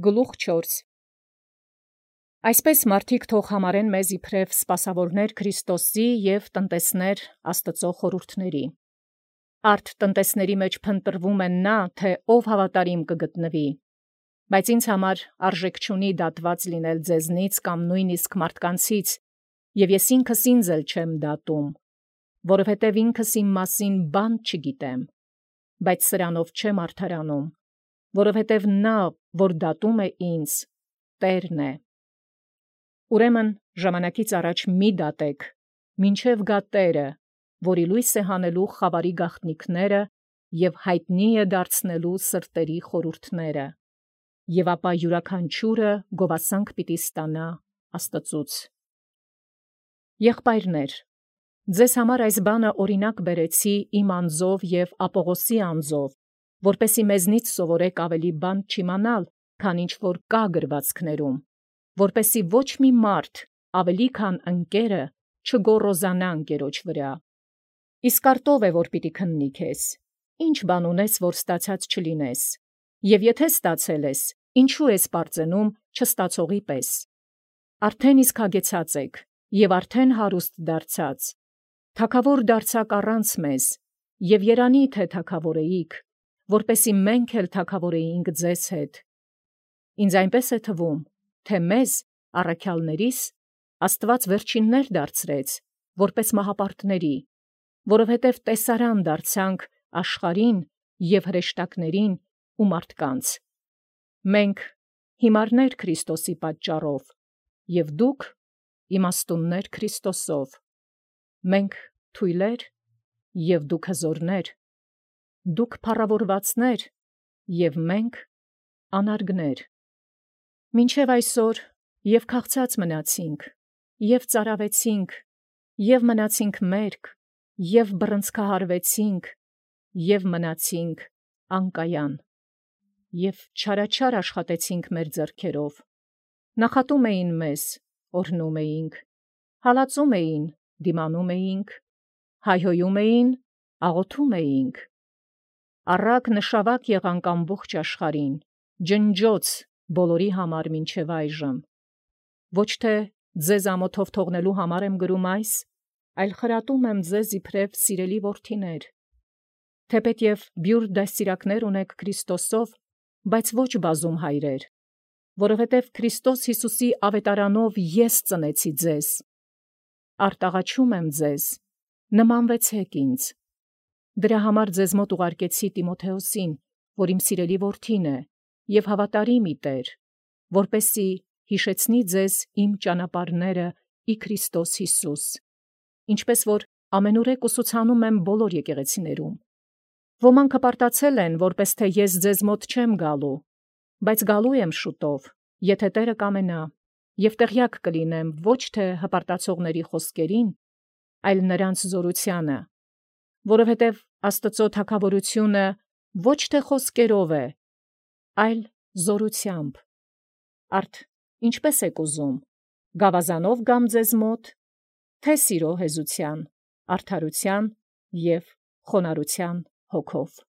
Գլուխ 4 Այսպես մարդիկ թող համարեն մեզ իբրև սպասավորներ Քրիստոսի և տնտեսներ Աստծո խորհուրդների։ Արդ տնտեսների մեջ փնտրվում են նա, թե ով հավատարիմ կգտնվի, բայց ինձ համար արժեք չունի դատված լինել ձեզնից կամ նույնիսկ մարդկանցից, և ես ինքս ինձ էլ չեմ դատում, որովհետև ինքս իմ մասին բան չգիտեմ, բայց սրանով չեմ արդարանում, որովհետև նա, որ դատում է ինձ, Տերն է։ Ուրեմն ժամանակից առաջ մի դատեք, մինչև գա Տերը, որի լույս է հանելու խավարի գաղտնիքները և հայտնի է դարձնելու սրտերի խորհուրդները, և ապա յուրաքանչյուրը գովասանք պիտի ստանա Աստծուց։ Եղբայրներ, ձեզ համար այս բանը օրինակ բերեցի իմ անձով և Ապողոսի անձով, որպեսզի մեզնից սովորեք ավելի բան չիմանալ, քան ինչ որ կա գրվածքներում, որպեսզի ոչ մի մարդ ավելի քան ընկերը չգոռոզանա ընկերոջ վրա։ Իսկ արտով է, որ պիտի քննի քեզ, ինչ բան ունես, որ ստացած չլինես, և եթե ստացել ես, ինչու ես պարծենում չստացողի պես։ Արդեն իսկ հագեցած եք, և արդեն հարուստ դարձած, թագավոր դարձաք առանց մեզ, և երանի թե թագավոր էիք, որպեսզի մենք էլ թագավորեինք ձեզ հետ։ Ինձ այնպես է թվում, թե մեզ, առաքյալներիս, Աստված վերջիններ դարձրեց, որպես մահապարտների, որովհետև տեսարան դարձանք աշխարհին և հրեշտակներին ու մարդկանց։ Մենք հիմարներ Քրիստոսի պատճառով, և դուք իմաստուններ Քրիստոսով, մենք թույլեր, և դուք հզորներ, դուք փառավորվածներ, և մենք անարգներ։ Մինչև այսօր և քաղցած մնացինք, և ծարավեցինք, և մնացինք մերկ, և բռնցքահարվեցինք, և մնացինք անկայան, և չարաչար աշխատեցինք մեր ձեռքերով. նախատում էին մեզ, օրհնում էինք, հալածում էին, դիմանում էինք, հայհոյում էին, աղոթում էինք։ Առակ նշավակ եղանք ամբողջ աշխարհին, ջնջոց բոլորի համար մինչև այժմ։ Ոչ թե ձեզ ամոթով թողնելու համար եմ գրում այս, այլ խրատում եմ ձեզ իբրև սիրելի որդիներ, թեպետև բյուր դաստիարակներ ունեք Քրիստոսով, բայց ոչ բազում հայրեր, որովհետև Քրիստոս Հիսուսի ավետարանով ես ծնեցի ձեզ։ Արտաղաչում եմ ձեզ, նմանվեցեք ինձ։ Դրա համար ձեզ մոտ ուղարկեցի Տիմոթեոսին, որ իմ սիրելի որդին է, և հավատարիմ ի Տեր, որպեսզի հիշեցնի ձեզ իմ ճանապարհները ի Քրիստոս Հիսուս, ինչպես որ ամենուրեք ուսուցանում եմ բոլոր եկեղեցիներում։ Ոմանք հպարտացել են, որպես թե ես ձեզ մոտ չեմ գալու, բայց գալու եմ շուտով, եթե Տերը կամենա, և տեղյակ կլինեմ ոչ թե հպարտացողների խոսքերին, այլ նրանց զորությանը, որովհետև Աստծո թագավորությունը ոչ թե խոսքերով է, այլ զորությամբ։ Արդ ինչպե՞ս եք ուզում, գավազանով գամ ձեզ մոտ, թե սիրո հեզության, արդարության և խոնարհության հոգով։